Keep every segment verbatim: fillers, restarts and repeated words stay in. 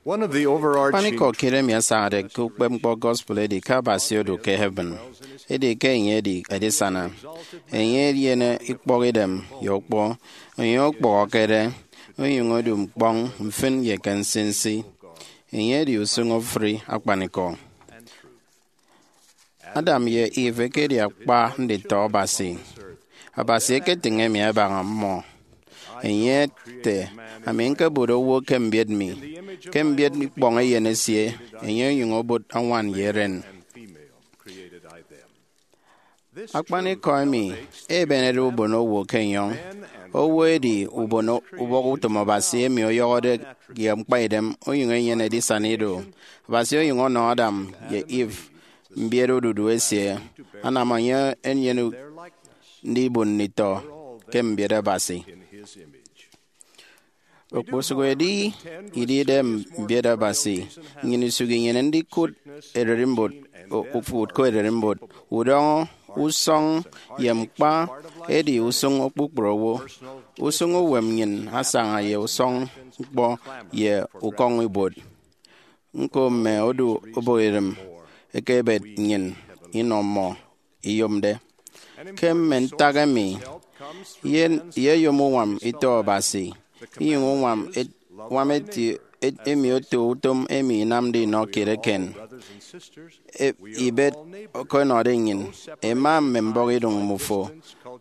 One of the overarching Akpanikọ kiet emi asañade ke ukpepñkpọ gospel edi ke Abasi odu ke heaven, edi ke enye edi edisana. Enye enyene ikpọk idem ye ukpọ, enye okpọhọkede, onyuñ odu mkpọñ mfin ye ke nsinsi. Enye edi usuñ ofuri akpanikọ. Adam ye Eve ekedi akpa nditọ Abasi. Abasi eketịñ emi abaña mmọ. Enye ete, "Ami ñkebot owo ke mbiet mi, ke mbiet ikpọñ eyen esie, enye onyuñ obot añwan ye eren." Akpanikọ emi ebenede ubonowo ke enyọñ. Owo edi ubon ubọk utom Abasi emi ọyọhọde ye ñkpaidem, onyuñ enyene edisana ido. Abasi onyuñ ọnọ Adam ye Eve mbiet odudu esie, anam enye enyene ndibon nditọ ke mbiet Abasi. Okposụk edi idide mbiet Abasi, nnyịn isụk inyene ndikụt ererimbot, o-, ukụt ke ererimbot. Udọñọ, usọñ, ye ñkpa edi usụñ kpukpru owo. Usụñ uwem nnyịn asaña ye usọñ ñkpọ ye ukọñibuot. Ñko mme odu obụkidem eke ebet nnyịn inọ mmọ iyomde. Ke mme ntak emi, ye, ye eyom uñwam ito Abasi, inyụñ uñwam et-, uñwam eti, et-, emi oto utom emi inamde inọ kiet eken. E-, ibet oko ẹnọde nnyịn, ẹma mme mbọhọ idụñ mmufo,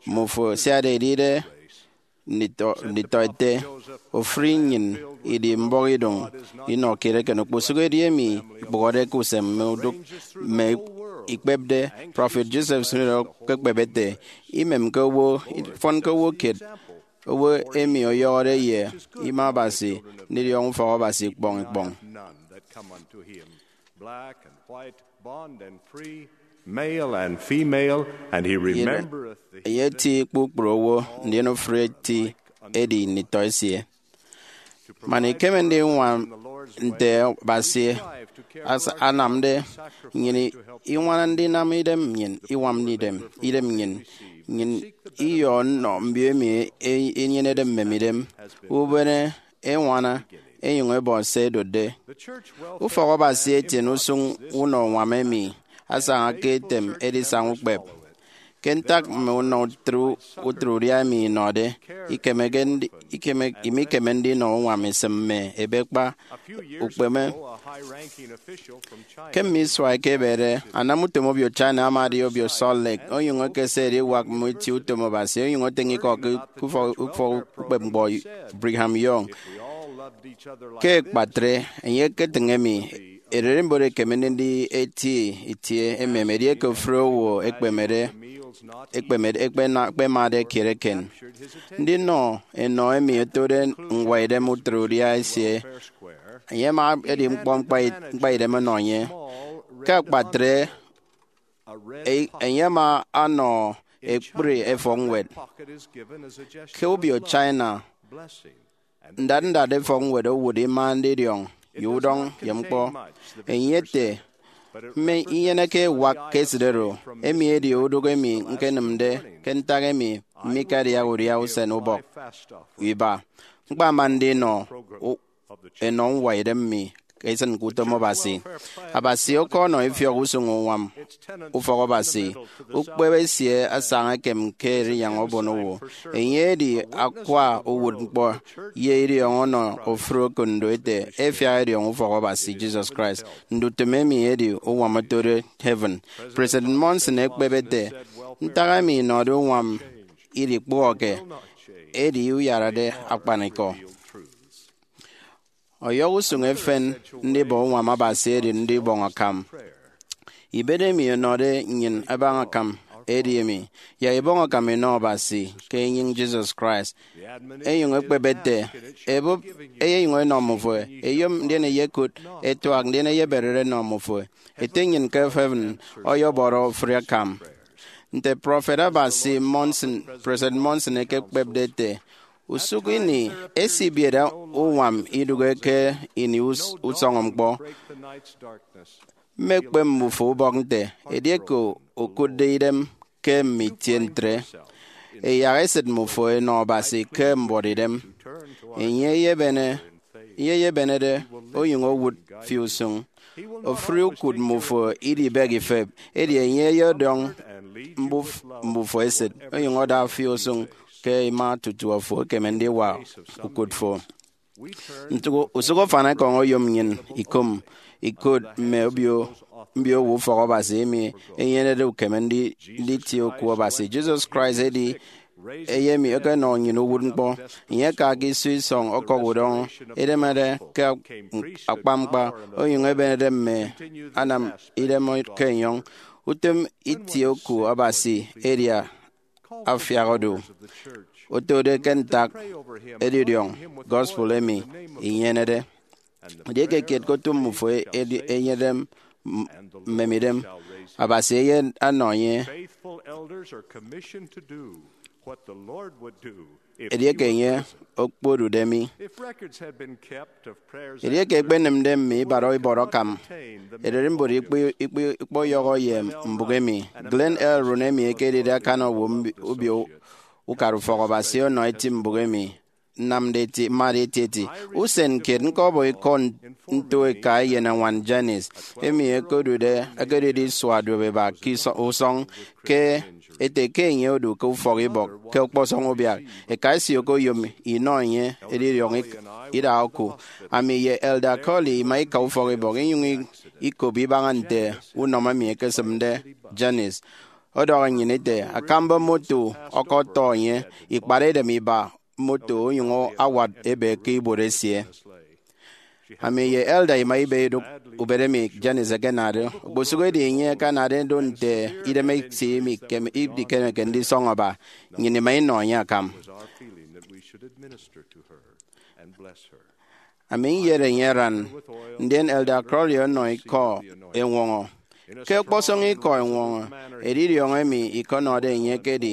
mmufo siade edide nditọ, nditọete, ofụri nnyịn idi mbọhọ idụñ inọ kiet eken. Okposụk edi emi ikpụhọde ke usem mme udụk mme ikpepde. Prọfet Joseph Smith ekekpep ete, "Imemke owo, ifọnke owo kiet, owo emi ọyọhọde ye ima Abasi ndidiọñọ ufọk Abasi ikpọñ ikpọñ." Black and white, bond and free, male and female, and he remembereth the enye eti kpukpru owo, ndien ofụri eti edi nditọ esie. Man ikeme ndiñwam nte Abasi as-, anamde, nnyịn iñwana ndinam idem nnyịn, iñwam idem, idem nnyịn, nnyịn iyọ nnọ mbio emi e-, enyenede mmemidem, ubene, eñwana, enyụñ ebọ se ẹdotde. Ufọk Abasi etiene usụñ unọ uñwam emi asaña ke etem edisaña ukpep. Ke ntak mme unọ utịt, utịt udia emi inọde, ikemeke ndi-, ikeme, imikeme ndinọ uñwam isịm mme ebekpa ukpeme. Ke mme isua ẹkebede, anamutom obio China ama edi obio Salt Lake, onyụñ ekese ediwak mme itie utom Abasi, onyụñ etịñ ikọ ke ufọk, ufọk ukpepñkpọ Brigham Young. Ke akpatre, enye eketịñ emi, ererimbot ekeme ndidi eti itie emem edieke ofụri owo ekpemede, ekpemede, ekpena-, ekpemade kiet eken. Ndinọ enọ emi otode ñwaidem utịt udia esie, enye ama edi ñkpọ ñkpai-, ñkpaidem ọnọ enye. Ke akpatre, e-, enye ama anọ ekpri efọkñwed. Ke obio China, ndat ndat efọkñwed owụt ima ndidiọñ ye udọñ ye ñkpọ. Enye ete, "Mme inyeneke ewak ke esịt oro, emi edi udụk emi ñkenịmde ke ntak emi mmikadiaha udia usen ubọk iba. Ñkpama ndinọ u-, enọ ñwaidem mi ke isịn ke utom Abasi." Abasi ọkọnọ ifiọk usụñ uñwam ufọk Abasi. Ukpep esie asaña ekem ke erinyaña ubonowo. Enye edi akwa uwụtñkpọ ye idiọñọ ọnọ ofụri okondo ete ẹfiak ẹdiọñọ ufọk Abasi Jesus Christ. Ndutịm emi edi uñwam otode heaven. President Monson ekpep ete, "Ntak emi inọde uñwam idikpụhọke edi uyarade akpanikọ." Ọyọhọ usụñ efen ndibọ uñwam Abasi edi ndibọñ akam. Ibet emi ọnọde nnyịn abaña akam edi emi, yak ibọñ akam inọ Abasi ke enyịñ Jesus Christ. Enyụñ ekpep ete, "Ebụp eyenyụñ enọ mmufo, eyom ndien eyekụt, etuak ndien eyeberere enọ mmufo. Ete nnyịn ke heaven ọyọbọrọ ofụri akam." Nte prọfet Abasi Monson, President Monson ekekpepde ete, "Usụk ini esibiet uñwam idụhe ke ini us-, usọñọ ñkpọ. Mmekpep mbufo ubọk nte, edieke okụtde idem ke mme itie ntre, eyak esịt mmufo enọ Abasi ke mbuọtidem. Enye eyebene, enye eyebenede onyụñ owụt fi usụñ. Ofụri ukụt mmufo idibek ifep, edi enye eyedọñ mbuf-, mbufo esịt, onyụñ ọda fi usụñ ke ima tutu afo ekeme ndiwa ukụt fo. Nte usụk ufan ekọñ oyom nnyịn ikụm ikot mme obio, mbio owo ufọk Abasi emi enyenede ukeme ndi-, nditie oku Abasi. Jesus Christ edi eyen emi ọkọnọ nnyịn uwụtñkpọ. Enye aka ke iso isọñ ọkọk udọñọ, edemede ke akpa ñkpa, onyụñ ebenede mme anam idem ke enyọñ. Utom itie oku Abasi edi afiak odu, otode ke ntak edidiọñ gospel emi inyenede. Edieke kiet ke otu mmufo edi-, enyene m-, mmemidem, Abasi eyenọ enye. Faithful elders are commissioned to do what the Lord would do if he would listen. Edieke enye okpodude mi. If records had been kept of prayers and Edieke ekpenịmde mme ibara ibọrọ akam, ererimbot ikpe-, ikpe-, ikpọyọhọ ye mbụk emi. Glenn L. Rooney emi ekedide akan owo mbi-, ubio ukara ufọk Abasi ọnọ eti mbụk emi nnamde eti, mmade etieti. Usen kiet ñkọbọ ikọ n-, nto eka eyenañwan Janice, emi ẹkedude, ẹkedide isua duopeba ke iso-, usọñ, ke ete ke enye odu ke ufọk ibọk ke ọkpọsọñ ubiak. Eka esie okoyom inọ enye edidiọñ ik-, idaha oku. Ami ye Elder Curley ima ika ufọk ibọk, inyụñ i-, ikop ibaña nte unọmọ emi ekesịmde Janice. Ọdọhọ nnyịn ete, akamba moto ọkọtọ enye, ikpat edem iba moto onyụñ awat ebe ke ibuot esie. Ami ye Elder ima ibe idụk ubet emi Janice ekenade. Okposụkedi enye akanade do nte idem esie imikeme-, idikemeke ndisọñọ aba, nnyịn ima inọ enye akam. Ami nyet enye aran, ndien Elder Curley ọnọ ikọ eñwọñọ. Ke ọkpọsọñ ikọ eñwọñọ, edidiọñ emi ikọnọde enye ekedi,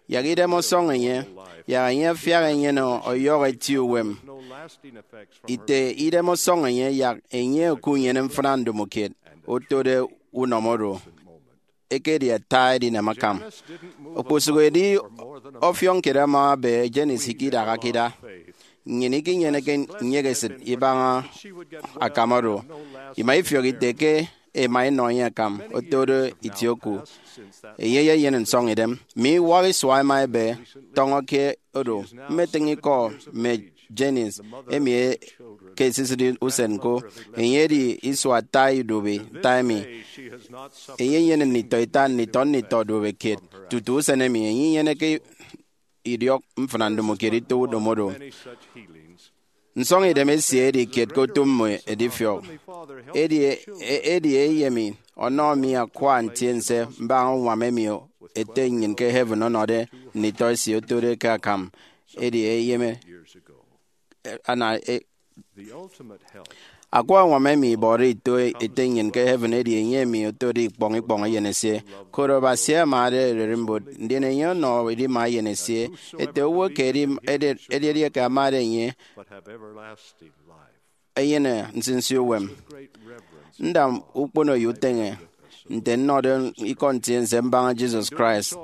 yak idem ọsọñ enye, yak enye afiak enyene ọyọhọ eti uwem. Ite idem ọsọñ enye, yak enye okunyene mfịna ndomokiet otode unọmọ oro ekedi ata edinam akam. Okposụkedi ọfiọñ kiet ama ebe, Janice ikidaha ke ida. Nnyịn ikinyeneke nyek esịt ibaña akam oro. Ima ifiọk ite ke ema enọ enye akam otode itie oku. Enye eyenyene nsọñidem. Mme iwak isua ẹma ẹbe tọñọ ke odo. Mmetịñ ikọ mme Janice emi e-, ke esisịt usen ko. Enye edi isua ata idubi ita emi. Enye enyene nditọ ita, nditọ nditọ duobe kiet. Tutu usen emi, enye inyeneke idiọk mfịna ndomokiet ito utom oro. Nsọñidem esie edi kiet ke otu mmọ edifiọk. Edi, e-, edi eyen emi ọnọ mi akwa ntiense mbaña uñwam emi Ete nnyịn ke heaven ọnọde nditọ esie otode ke akam. Edi eyeme, e, ana, e, akwa uñwam emi ibọde ito Ete nnyịn ke heaven edi enye emi otode ikpọñ ikpọñ eyen esie. Koro Abasi amade ererimbot, ndien enye ọnọ edima eyen esie, ete owo ke edi, edi, edi edieke amade enye, enyene nsinsi uwem. Nda ukpono ye uteñe nte nnọde ikọ ntiense mbaña Jesus Christ.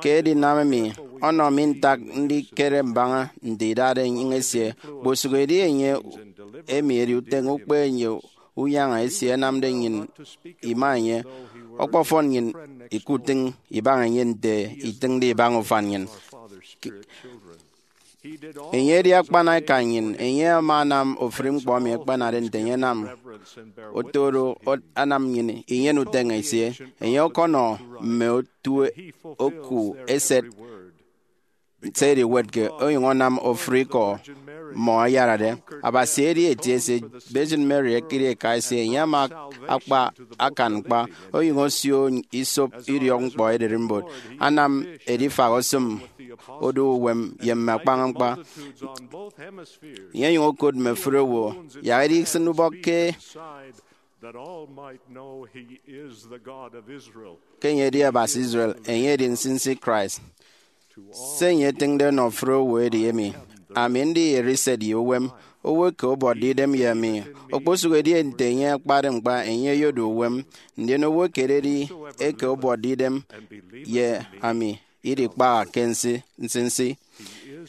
Ke edinam emi, ọnọ mi ntak ndikere mbaña nte idade enyịñ esie. Kposụk edi enye emi edi uteñe ukpe ye unyaña esie ẹnamde nnyịn ima enye. Ọkpọfọn nnyịn ikutịñ ibaña enye nte itịñde ibaña ufan nnyịn. Enye edi akpan eka nnyịn. Enye ama anam ofụri ñkpọ emi ẹkpanade nte enye anam, oto oro anam nnyịn inyene uteñe esie. Enye ọkọnọ mme otu oku eset se ediwetke, onyụñ anam ofụri ikọ mmọ ayarade. Abasi edi Eti esie. Virgin Mary ekedi eka esie. Enye ama akpa akan ñkpa, onyụñ osio isop idiọkñkpọ ererimbot, anam edifak osịm odu uwem ye mme akpaña ñkpa. Enye onyụñ okot mme ofụri owo, yak edisịn ubọk ke, that all might know he is the God of Israel. Ke enye edi Abasi Israel, enye edi nsinsi Christ. Se enye etịñde ọnọ ofụri owo edi emi, ami ndi eriset ye uwem, owo eke ọbuọtde idem ye ami. Okposụkedi nte enye akpade ñkpa, enye oyodu uwem, ndien owo eke ededi eke ọbuọtde idem ye ami idikpaha ke nsi-, nsinsi.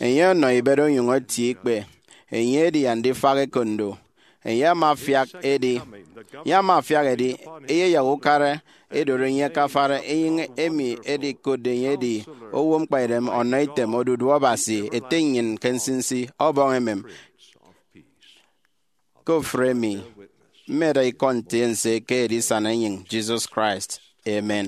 Enye ọnọ ibet onyụñ etie ikpe. Enye edi andifak ekondo. Enye ama afiak edi, enye ama afiak edi, eyeyak ukara edori enye ke afara enyịñ emi edikotde enye edi owo ñkpaidem ọnọ item odudu Abasi Ete nnyịn ke nsinsi ọbọñ emem. Ke ofụri emi, mmeda ikọ ntiense ke Edisana Enyịñ Jesus Christ. Amen.